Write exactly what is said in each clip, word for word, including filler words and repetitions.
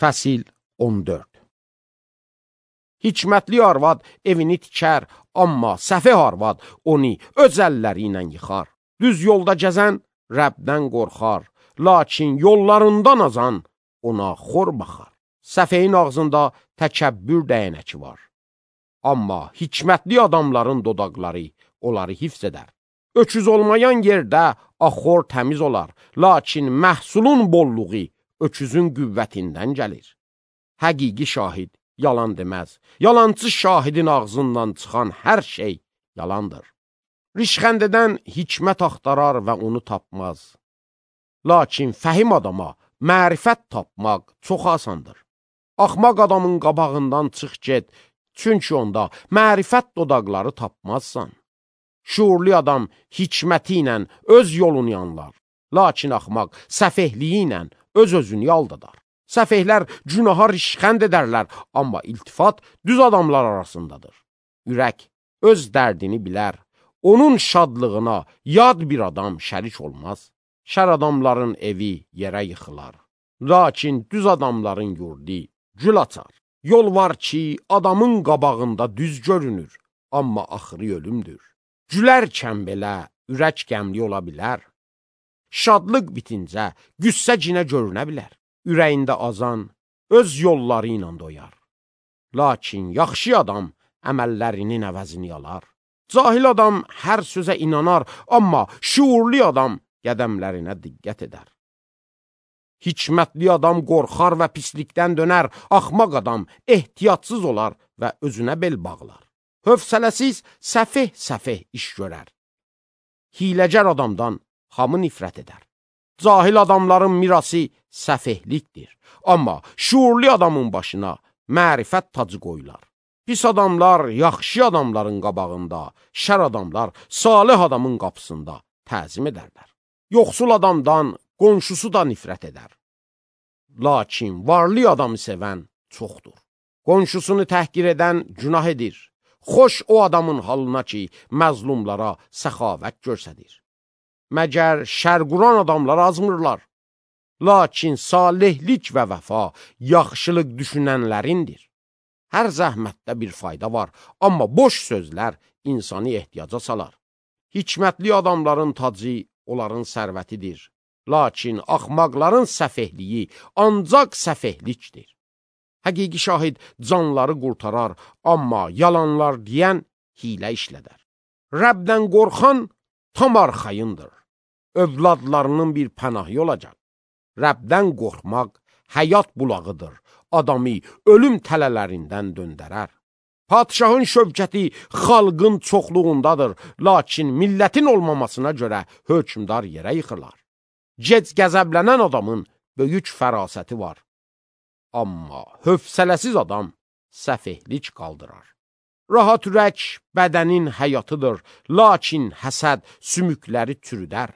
Fəsil on dörd. Hikmətli arvad evini tikər, amma səfeh arvad onu öz əlləri ilə yıxar. Düz yolda gəzən Rəbdən qorxar, lakin yollarından azan ona xor baxar. Səfehin ağzında təkəbbür dəyənəki var, amma hikmətli adamların dodaqları onları hifz edər. Öküz olmayan yerdə axor təmiz olar, lakin məhsulun bolluğu öküzün qüvvətindən gəlir. Həqiqi şahid yalan deməz, yalancı şahidin ağzından çıxan hər şey yalandır. Rişxənd edən hikmət axtarar və onu tapmaz. Lakin fəhim adama mərifət tapmaq çox asandır. Axmaq adamın qabağından çıx get, çünki onda mərifət dodaqları tapmazsan. Şuurlu adam hikməti ilə öz yolunu yanlar, lakin axmaq səfehliyi ilə öz-özünü aldadar. Səfehlər günaha rişxənd edərlər, amma iltifat düz adamlar arasındadır. Ürək öz dərdini bilər, onun şadlığına yad bir adam şərik olmaz. Şər adamların evi yerə yıxılar, lakin düz adamların yurdu gül açar. Yol var ki, adamın qabağında düz görünür, amma axırı ölümdür. Gülərkən belə ürək qəmli ola bilər. Şadlıq bitincə qüssə cinə görünə bilər. Ürəyində azan öz yolları ilə doyar. Lakin yaxşı adam əməllərinin əvəzini alar. Cahil adam hər sözə inanar, amma şuurlu adam qədəmlərinə diqqət edər. Hikmətli adam qorxar və pislikdən dönər, axmaq adam ehtiyatsız olar və özünə bel bağlar. Hövsələsiz səfeh-səfeh iş görər. Hiləgər adamdan hamı nifrət edər. Cahil adamların mirası səfehlikdir, amma şuurlu adamın başına mərifət tacı qoyular. Pis adamlar yaxşı adamların qabağında, şər adamlar salih adamın qapısında təzim edərlər. Yoxsul adamdan qonşusu da nifrət edər. Lakin varlı adamı sevən çoxdur. Qonşusunu təhqir edən günah edir. Xoş o adamın halına ki, məzlumlara səxavət görsədir. Məgər şərquran adamlar azmırlar. Lakin salihlik və vəfa yaxşılıq düşünənlərindir. Hər zəhmətdə bir fayda var, amma boş sözlər insanı ehtiyaca salar. Hikmətli adamların tacı onların sərvətidir. Lakin axmaqların səfehliyi ancaq səfehlikdir. Həqiqi şahid canları qurtarar, amma yalanlar deyən hilə işlədər. Rəbdən qorxan tam arxayındır. Övladlarının bir pənahı olacaq. Rəbdən qorxmaq həyat bulağıdır. Adamı ölüm tələlərindən döndərər. Padişahın şövkəti xalqın çoxluğundadır, lakin millətin olmamasına görə hökmdar yerə yıxırlar. Gec qəzəblənən adamın böyük fərasəti var. Amma hövsələsiz adam səfehlik qaldırar. Rahat ürək bədənin həyatıdır, lakin həsəd sümükləri çürüdər.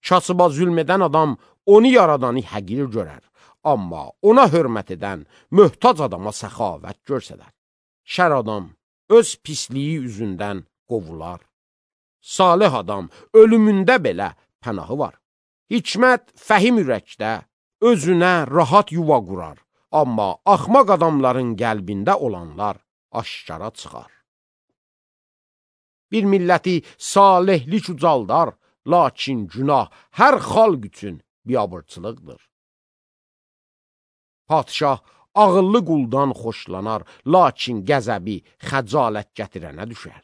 Kasıba zülm edən adam onu yaradanı həqir görər, amma ona hörmət edən möhtac adama səxavət görsədər. Şər adam öz pisliyi üzündən qovular. Salih adam ölümündə belə pənahı var. Hikmət fəhim ürəkdə özünə rahat yuva qurar, amma axmaq adamların qəlbində olanlar aşkara çıxar. Bir milləti salihlik ucaldar, lakin günah hər xalq üçün biabırçılıqdır. Padişah ağıllı quldan xoşlanar, lakin qəzəbi xəcalət gətirənə düşər.